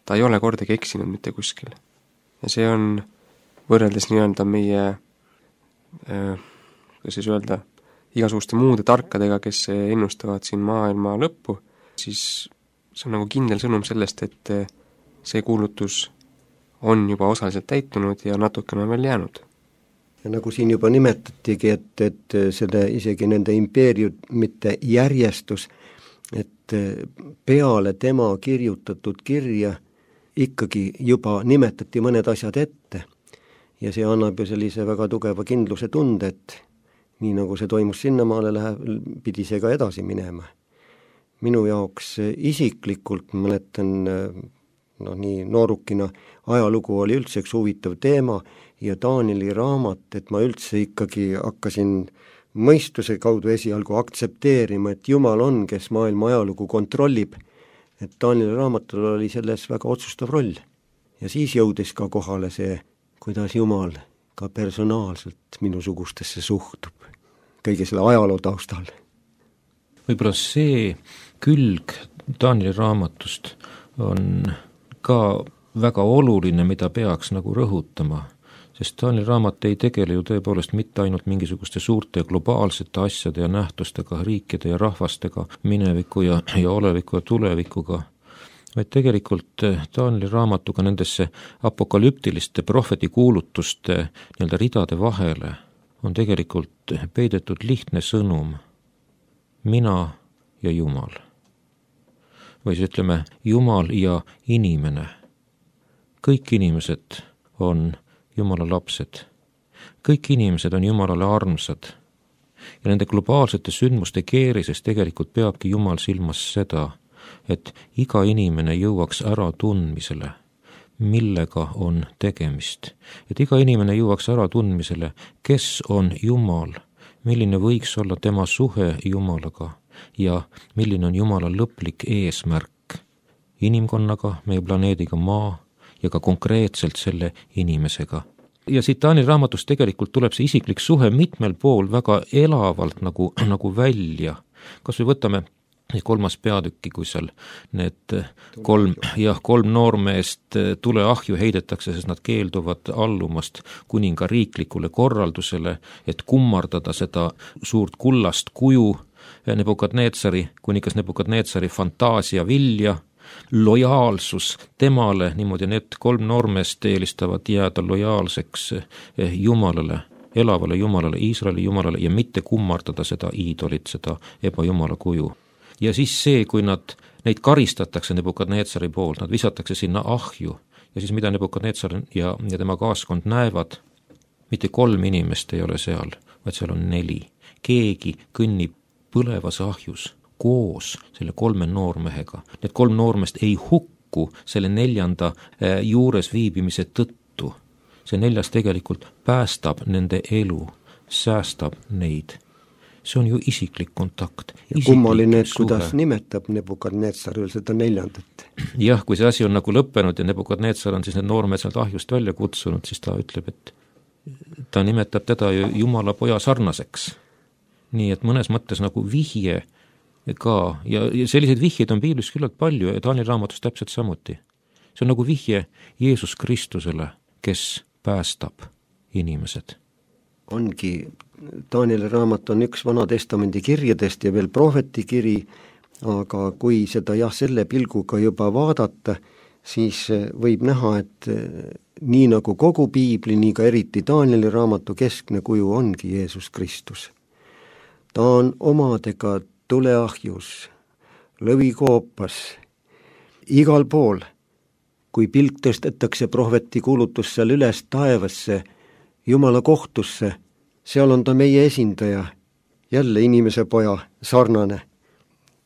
ta ei ole kordagi eksinud mitte kuskil. Ja see on võrreldes nii-öelda meie, kuidas siis öelda, igasuguste muude tarkadega, kes ennustavad siin maailma lõppu, siis see on nagu kindel sõnum sellest, et see kuulutus on juba osaliselt täitunud ja natukene on veel jäänud. Ja nagu siin juba nimetatigi, et selle isegi nende impeeriumite järjestus, et peale tema kirjutatud kirja ikkagi juba nimetati mõned asjad ette ja see annab ju sellise väga tugeva kindluse tunde, et nii nagu see toimus sinnamaale, pidi see ka edasi minema. Minu jaoks isiklikult mäletan, nii noorukina ajalugu oli üldse üks huvitav teema ja Danieli raamat, et ma üldse ikkagi hakkasin mõistuse kaudu esialgu aktsepteerima, et Jumal on, kes maailma ajalugu kontrollib, et Danieli raamatul oli selles väga otsustav roll. Ja siis jõudis ka kohale see, kuidas Jumal ka personaalselt minusugustesse suhtub, kõige selle ajaloo taustal. Võib-olla see külg Danieli raamatust on ka väga oluline, mida peaks nagu rõhutama, sest Danieli raamat ei tegele ju tõepoolest mitte ainult mingisuguste suurte globaalsete asjade ja nähtustega, riikide ja rahvastega, mineviku ja oleviku ja tulevikuga, vaid tegelikult Danieli raamatuga nendesse apokalüptiliste prohvetikuulutuste nii-öelda ridade vahele on tegelikult peidetud lihtne sõnum: mina ja Jumal. Või siis ütleme, Jumal ja inimene. Kõik inimesed on Jumala lapsed. Kõik inimesed on Jumalale armsad. Ja nende globaalsete sündmuste keerises tegelikult peabki Jumal silmas seda, et iga inimene jõuaks ära tundmisele, millega on tegemist. Et iga inimene jõuaks ära tundmisele, kes on Jumal, milline võiks olla tema suhe Jumalaga ja milline on Jumala lõplik eesmärk inimkonnaga, meie planeediga Maa ja ka konkreetselt selle inimesega. Ja siit Danieli raamatust tegelikult tuleb see isiklik suhe mitmel pool väga elavalt nagu välja. Kas või võtame 3. peatükki, kui seal need kolm noormeest tuleahju heidetakse, sest nad keelduvad allumast kuninga riiklikule korraldusele, et kummardada seda suurt kullast kuju kuningas Nebukadnetsari fantaasia vilja, lojaalsus temale, niimoodi need 3 noormeest eelistavad jääda lojaalseks Jumalale, elavale Jumalale, Iisraeli Jumalale ja mitte kummardada seda iidolit, seda ebajumala kuju. Ja siis see, kui neid karistatakse Nebukadnetsari poolt, nad visatakse sinna ahju ja siis mida Nebukadnetsar ja tema kaaskond näevad, mitte 3 inimest ei ole seal, vaid seal on 4. Keegi kõnnib põlevas ahjus koos selle 3 noormehega. Need 3 noormest ei hukku selle 4. juures viibimise tõttu. See 4. tegelikult päästab nende elu, säästab neid. See on ju isiklik kontakt. Ja kummaline, et kuidas nimetab Nebukadnetsar seda 4. Jah, kui see asi on nagu lõppenud ja Nebukadnetsar on siis need noormehed sealt ahjust välja kutsunud, siis ta ütleb, et ta nimetab teda ju Jumala poja sarnaseks. Nii et mõnes mõttes nagu vihje ka, ja selliseid vihjeid on piiblis küllalt palju ja Danieli raamatus täpselt samuti. See on nagu vihje Jeesus Kristusele, kes päästab inimesed. Ongi, Danieli raamat on üks Vana Testamendi kirjadest ja veel prohvetikiri, aga kui seda selle pilguga juba vaadata, siis võib näha, et nii nagu kogu piibli, nii ka eriti Danieli raamatu keskne kuju ongi Jeesus Kristus. Ta on omadega tuleahjus, lõvikoopas, igal pool, kui pilk tõstetakse prohveti kuulutus seal üles taevasse, Jumala kohtusse, seal on ta meie esindaja, jälle inimese poja sarnane.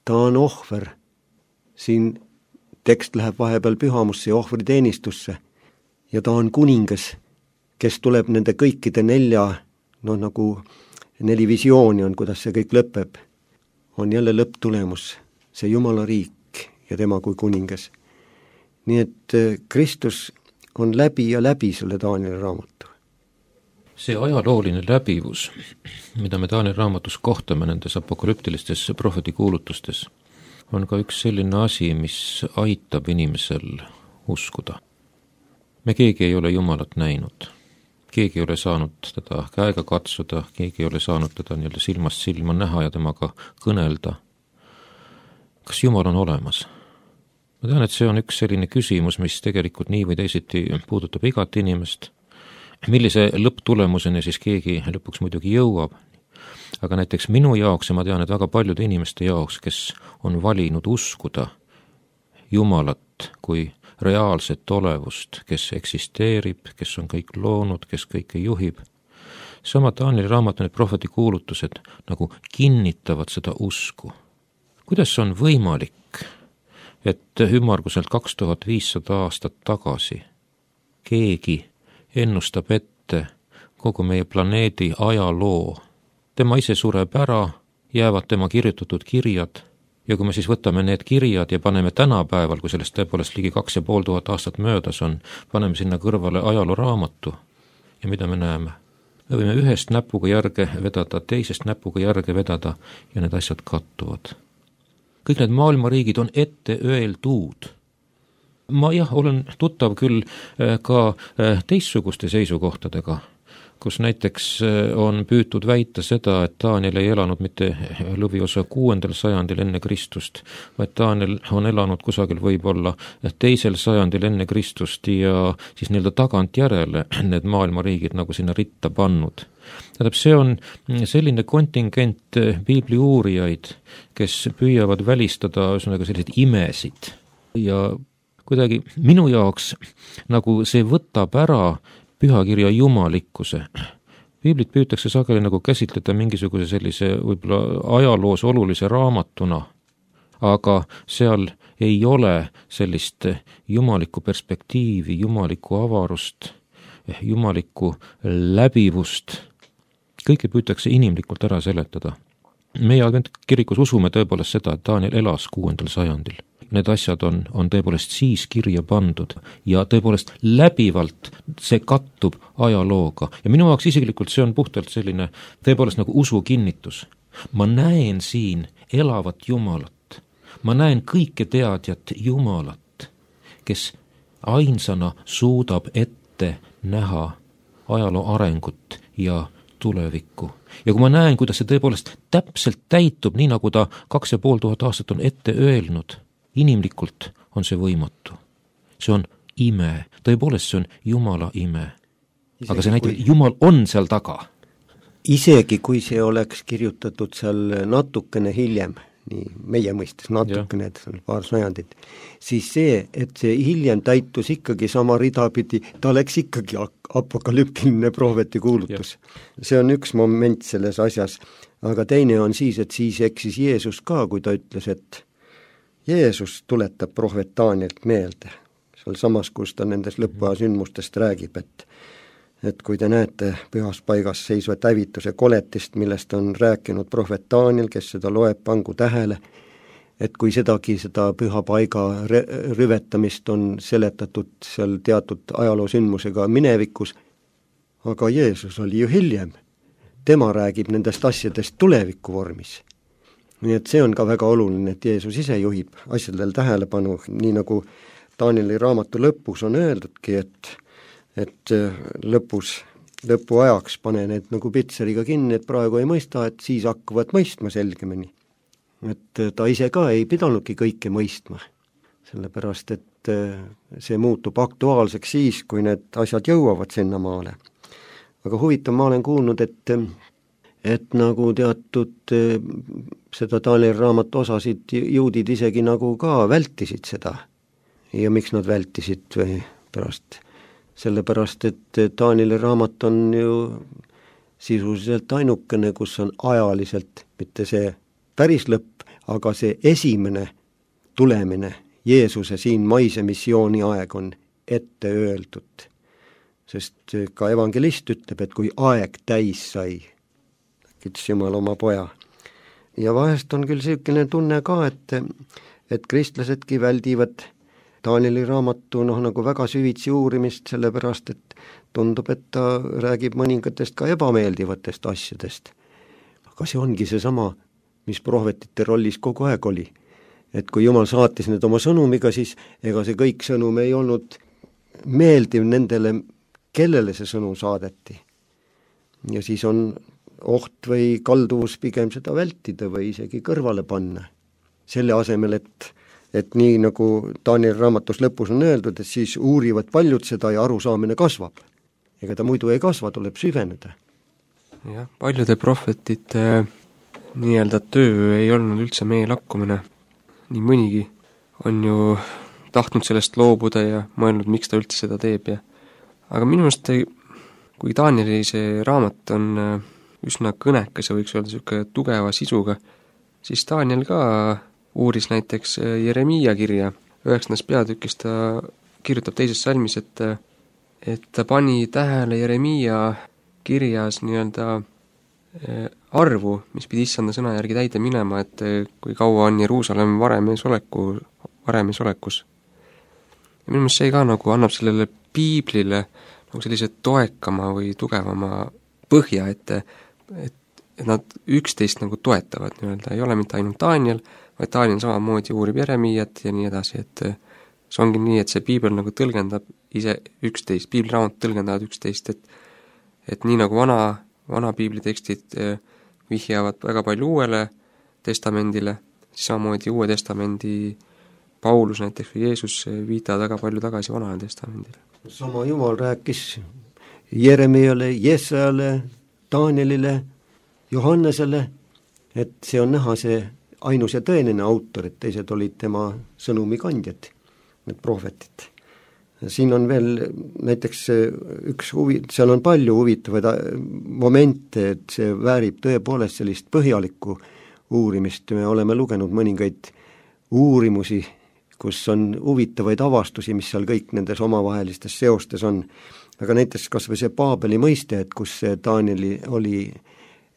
Ta on ohver siin tekst läheb vahepeal pühamusse ja ohvriteenistusse ja ta on kuningas, kes tuleb nende kõikide nagu 4 visiooni on, kuidas see kõik lõpeb, on jälle lõpptulemus, see Jumala riik ja tema kui kuningas. Nii et Kristus on läbi ja läbi selle Danieli raamatu. See ajalooline läbivus, mida me Danieli raamatus kohtame nendes apokalüptilistes prohvetikuulutustes, on ka üks selline asi, mis aitab inimesel uskuda. Me keegi ei ole Jumalat näinud, keegi ei ole saanud teda käega katsuda, keegi ei ole saanud teda nii-öelda silmast silma näha ja temaga kõnelda. Kas Jumal on olemas? Ma tean, et see on üks selline küsimus, mis tegelikult nii või teisiti puudutab igat inimest. Millise lõpptulemuseni siis keegi lõpuks muidugi jõuab, aga näiteks minu jaoks ja ma tean, et väga paljude inimeste jaoks, kes on valinud uskuda Jumalat kui reaalset olevust, kes eksisteerib, kes on kõik loonud, kes kõike juhib. Sama Danieli raamatu need prohvetikuulutused nagu kinnitavad seda usku. Kuidas on võimalik, et ümmarguselt 2500 aastat tagasi keegi ennustab ette kogu meie planeedi ajaloo. Tema ise sureb ära, jäävad tema kirjutatud kirjad ja kui me siis võtame need kirjad ja paneme tänapäeval, kui sellest tõepoolest ligi 2500 aastat möödas on, paneme sinna kõrvale ajalooraamatu ja mida me näeme? Me võime ühest näpuga järge vedada, teisest näpuga järge vedada ja need asjad kattuvad. Kõik need maailmariigid on ette öeldud. Ma olen tuttav küll ka teistsuguste seisukohtadega, kus näiteks on püütud väita seda, et Daniel ei elanud mitte lõviosa 6. sajandil enne Kristust, vaid Daniel on elanud kusagil võib-olla 2. sajandil enne Kristust ja siis nii-öelda tagantjärele need maailmariigid nagu sinna ritta pannud. Tähendab, see on selline kontingent piibli uurijaid, kes püüavad välistada selliseid imesid ja kuidagi minu jaoks nagu see võtab ära pühakirja jumalikkuse. Piiblit püütakse sageli nagu käsitleda mingisuguse sellise võib-olla ajaloos olulise raamatuna, aga seal ei ole sellist jumalikku perspektiivi, jumalikku avarust, jumalikku läbivust. Kõike püütakse inimlikult ära seletada. Meie adventkirikus usume tõepoolest seda, et Daniel elas 6. sajandil. Need asjad on tõepoolest siis kirja pandud ja tõepoolest läbivalt see kattub ajalooga. Ja minu jaoks isiklikult see on puhtalt selline tõepoolest nagu usu kinnitus. Ma näen siin elavat Jumalat. Ma näen kõike teadjat Jumalat, kes ainsana suudab ette näha ajaloo arengut ja tulevikku. Ja kui ma näen, kuidas see tõepoolest täpselt täitub, nii nagu ta 2500 aastat on ette öelnud, inimlikult on see võimatu. See on ime. Tõepoolest see on Jumala ime. Aga see näitab, et Jumal on seal taga. Isegi kui see oleks kirjutatud seal natukene hiljem, nii meie mõistes natukene, et paar sajandit, siis see, et see hiljem täitus ikkagi sama ridapidi, ta oleks ikkagi apokalüptiline prohvetikuulutus. See on üks moment selles asjas, aga teine on siis, et siis eksis Jeesus ka, kui ta ütles, et Jeesus tuletab prohvet Danielt meelde, seal samas, kus ta nendest lõpuaja sündmustest räägib, et kui te näete pühas paigas seisvat hävituse koletist, millest on rääkinud prohvet Daniel, kes seda loeb, pangu tähele, et kui seda püha paiga rüvetamist on seletatud seal teatud ajaloosündmusega minevikus, aga Jeesus oli ju hiljem, tema räägib nendest asjadest tuleviku vormis. Nii et see on ka väga oluline, et Jeesus ise juhib asjadel tähelepanu, nii nagu Danieli raamatu lõpus on öeldudki, et lõpu ajaks pane need nagu pitseriga kinni, et praegu ei mõista, et siis hakkavad mõistma selgemini. Et ta ise ka ei pidanudki kõike mõistma, sellepärast et see muutub aktuaalseks siis, kui need asjad jõuavad sinna maale. Aga huvitav, ma olen kuulnud, et nagu teatud seda Danieli raamatu osasid juudid isegi nagu ka vältisid seda. Ja miks nad vältisid või pärast? Sellepärast, et Danieli raamat on ju sisuliselt ainukene, kus on ajaliselt mitte see päris lõpp, aga see esimene tulemine Jeesuse siin maise missiooni aeg on ette öeldud. Sest ka evangelist ütleb, et kui aeg täis sai, ütles Jumal oma poja. Ja vahest on küll selline tunne ka, et kristlasedki väldivad Danieli raamatu nagu väga süvitsi uurimist, sellepärast et tundub, et ta räägib mõningatest ka ebameeldivatest asjadest. Aga see ongi seesama, mis prohvetite rollis kogu aeg oli. Et kui Jumal saatis need oma sõnumiga, siis ega see kõik sõnum ei olnud meeldiv nendele, kellele see sõnum saadeti. Ja siis on oht või kalduvus pigem seda vältida või isegi kõrvale panna. Selle asemel, et nii nagu Danieli raamatus lõpus on öeldud, et siis uurivad paljud seda ja arusaamine kasvab. Ega ta muidu ei kasva, tuleb süveneda. Jah, paljude prohvetite nii-öelda töö ei olnud üldse meie lakkumine. Nii mõnigi on ju tahtnud sellest loobuda ja mõelnud, miks ta üldse seda teeb. Aga minu meelest, kui Danieli see raamat on üsna kõnekas ja võiks öelda selline tugeva sisuga, siis Daniel ka uuris näiteks Jeremiia kirja. 9. peatükis ta kirjutab teises salmis, et ta pani tähele Jeremiia kirjas nii-öelda arvu, mis pidi issanda sõna järgi täide minema, et kui kaua on Jeruusalemm varemees olekus. Ja minu meelest see ka nagu annab sellele piiblile nagu sellise toekama või tugevama põhja, et nad üksteist nagu toetavad nii-öelda, ei ole mitte ainult Daniel, vaid Daniel samamoodi uurib Jeremiiat ja nii edasi, et see ongi nii, et see piibel nagu tõlgendab ise üksteist, piibliraamat tõlgendavad üksteist, et nii nagu vana piiblitekstid vihjavad väga palju Uuele testamendile, siis samamoodi Uue testamendi Paulus näiteks või Jeesus viitavad väga palju tagasi Vanale testamendile. Sama Jumal rääkis Jeremiale, Jesajale, Danielile, Johannesele, et see on näha see ainus ja tõenine autor, et teised olid tema sõnumikandjad, need prohvetid. Siin on veel näiteks seal on palju huvitavaid momente, et see väärib tõepoolest sellist põhjalikku uurimist. Me oleme lugenud mõningaid uurimusi, kus on huvitavaid avastusi, mis seal kõik nendes omavahelistes seostes on. Aga näiteks kas või see Paabeli mõiste, et kus see Danieli oli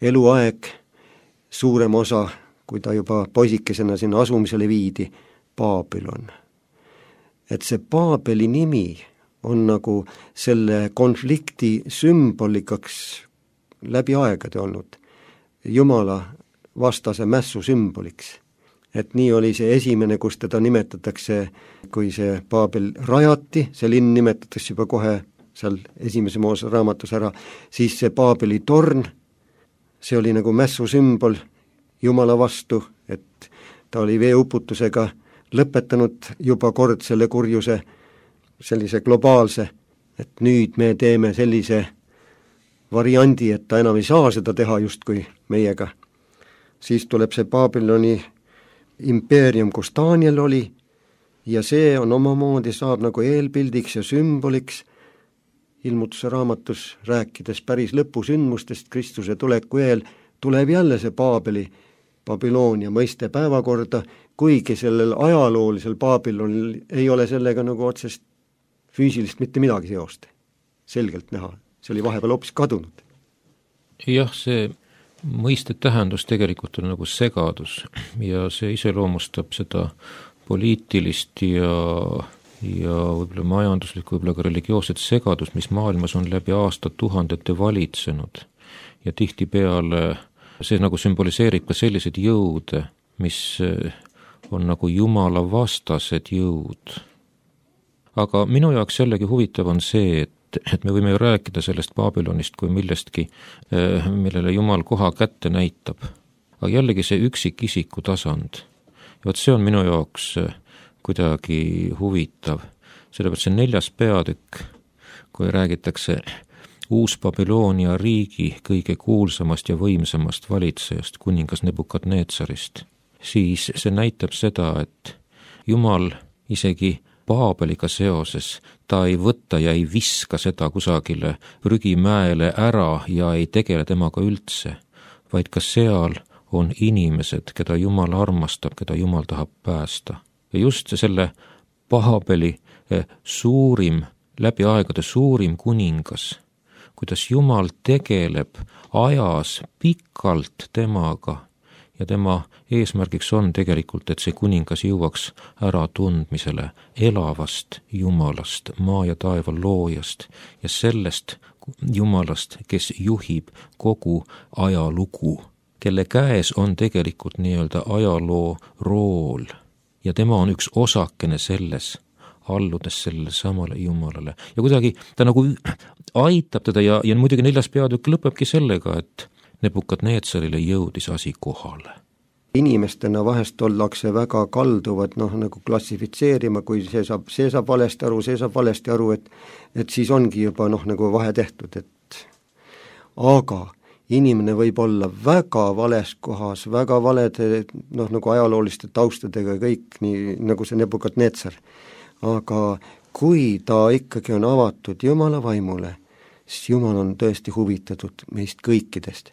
eluaeg, suurem osa, kui ta juba poisikesena sinna asumisele viidi, Babylon. Et see Paabeli nimi on nagu selle konflikti sümbolikaks läbi aegade olnud, Jumala vastase mässu sümboliks. Et nii oli see esimene, kus teda nimetatakse, kui see Paabel rajati, see linn nimetatakse juba kohe seal esimese Moose raamatus ära, siis see Paabeli torn, see oli nagu mässu sümbol Jumala vastu, et ta oli veeuputusega lõpetanud juba kord selle kurjuse, sellise globaalse, et nüüd me teeme sellise variandi, et ta enam ei saa seda teha justkui meiega. Siis tuleb see Babyloni impeerium, kus Daniel oli, ja see on omamoodi saab nagu eelpildiks ja sümboliks ilmutuse raamatus rääkides päris lõpusündmustest Kristuse tuleku eel, tuleb jälle see Babyloonia mõiste päevakorda, kuigi sellel ajaloolisel Babylonil ei ole sellega nagu otsest füüsilist mitte midagi seost. Selgelt näha, see oli vahepeal hoopis kadunud. Jah, see mõiste tähendus tegelikult on nagu segadus ja see iseloomustab seda poliitilist ja võib-olla majanduslikku, võib-olla ka religioosset segadust, mis maailmas on läbi aastatuhandete valitsenud ja tihtipeale see nagu sümboliseerib ka selliseid jõude, mis on nagu Jumala vastased jõud. Aga minu jaoks jällegi huvitav on see, et me võime ju rääkida sellest Babylonist kui millestki, millele Jumal koha kätte näitab. Aga jällegi see üksikisiku tasand. Ja võt see on minu jaoks kuidagi huvitav. Sellepärast see 4. peatükk, kui räägitakse Uus-Babyloonia riigi kõige kuulsamast ja võimsamast valitsejast, kuningas Nebukadnetsarist, siis see näitab seda, et Jumal isegi Paabeliga seoses, ta ei võtta ja ei viska seda kusagile prügimäele ära ja ei tegele temaga üldse, vaid ka seal on inimesed, keda Jumal armastab, keda Jumal tahab päästa. ja just selle Paabeli suurim, läbi aegade suurim kuningas, kuidas Jumal tegeleb ajas pikalt temaga ja tema eesmärgiks on tegelikult, et see kuningas jõuaks äratundmisele elavast Jumalast, maa ja taeva loojast ja sellest Jumalast, kes juhib kogu ajalugu, kelle käes on tegelikult nii-öelda ajaloo rool ja tema on üks osakene selles, alludes sellele samale Jumalale. Ja kuidagi ta nagu aitab teda ja muidugi 4. peatükk lõpebki sellega, et Nebukadneetsarile jõudis asi kohale. Inimestena vahest ollakse väga kalduvad nagu klassifitseerima, kui see saab valesti aru, see saab valesti aru, et siis ongi juba nagu vahe tehtud, aga inimene võib olla väga vales kohas, väga valede nagu ajalooliste taustadega kõik, nii nagu see Nebukadnetsar. Aga kui ta ikkagi on avatud Jumala vaimule, siis Jumal on tõesti huvitatud meist kõikidest.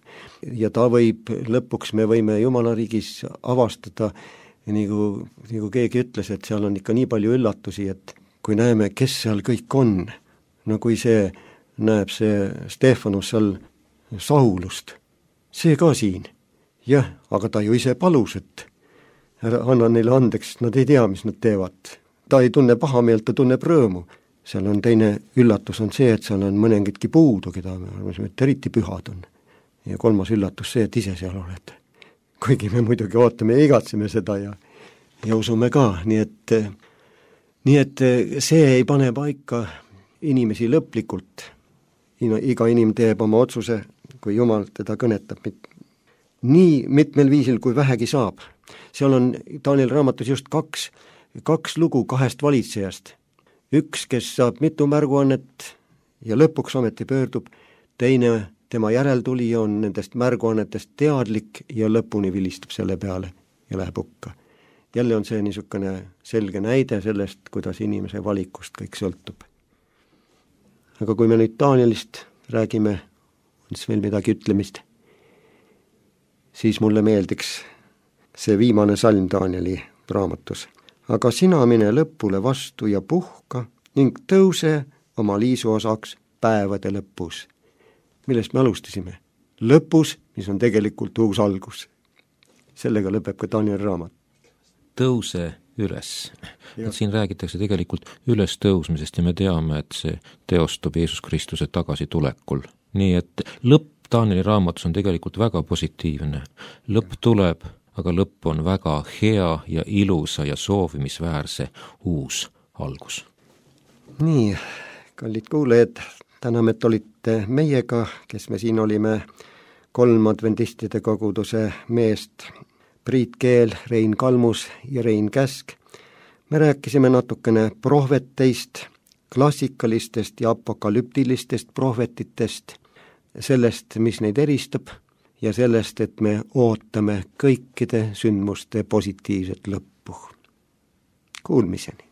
Ja ta võib, lõpuks me võime Jumala riigis avastada, nagu keegi ütles, et seal on ikka nii palju üllatusi, et kui näeme, kes seal kõik on, no kui see näeb see Stefanus seal Saulust, see ka siin. Jah, aga ta ju ise palus, et anna neile andeks, nad ei tea, mis nad teevad. Ta ei tunne pahameelt, ta tunneb rõõmu. Seal on teine üllatus on see, et seal on mõningidki puudu, keda me arvasime, et eriti pühad on. Ja 3. üllatus see, et ise seal oled. Kuigi me muidugi ootame ja igatseme seda ja usume ka, nii et see ei pane paika inimesi lõplikult. Iga inimene teeb oma otsuse, kui Jumal teda kõnetab nii mitmel viisil, kui vähegi saab. Seal on Danieli raamatus just kaks lugu 2 valitsejast. Üks, kes saab mitu märguannet ja lõpuks ometi pöördub, teine, tema järeltulija on nendest märguannetest teadlik ja lõpuni vilistab selle peale ja läheb hukka. Jälle on see niisugune selge näide sellest, kuidas inimese valikust kõik sõltub. Aga kui me nüüd Danielist räägime, on siis veel midagi ütlemist, siis mulle meeldiks see viimane salm Danieli raamatus. Aga sina mine lõpule vastu ja puhka ning tõuse oma liisuosaks päevade lõpus. Millest me alustasime? Lõpus, mis on tegelikult uus algus. Sellega lõpeb ka Danieli raamat. Tõuse üles. Siin räägitakse tegelikult üles tõusmisest ja me teame, et see teostub Jeesus Kristuse tagasitulekul. Nii et lõpp Danieli raamatus on tegelikult väga positiivne. Lõpp tuleb, aga lõpp on väga hea ja ilusa ja soovimisväärse uus algus. Nii, kallid kuulajad, täname, et olite meiega, kes me siin olime 3 adventistide koguduse meest, Priit Keel, Rein Kalmus ja Rein Käsk. Me rääkisime natukene prohveteist, klassikalistest ja apokalüptilistest prohvetitest, sellest, mis neid eristab, ja sellest, et me ootame kõikide sündmuste positiivset lõppu. Kuulmiseni!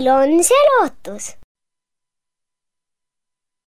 meil on see lootus.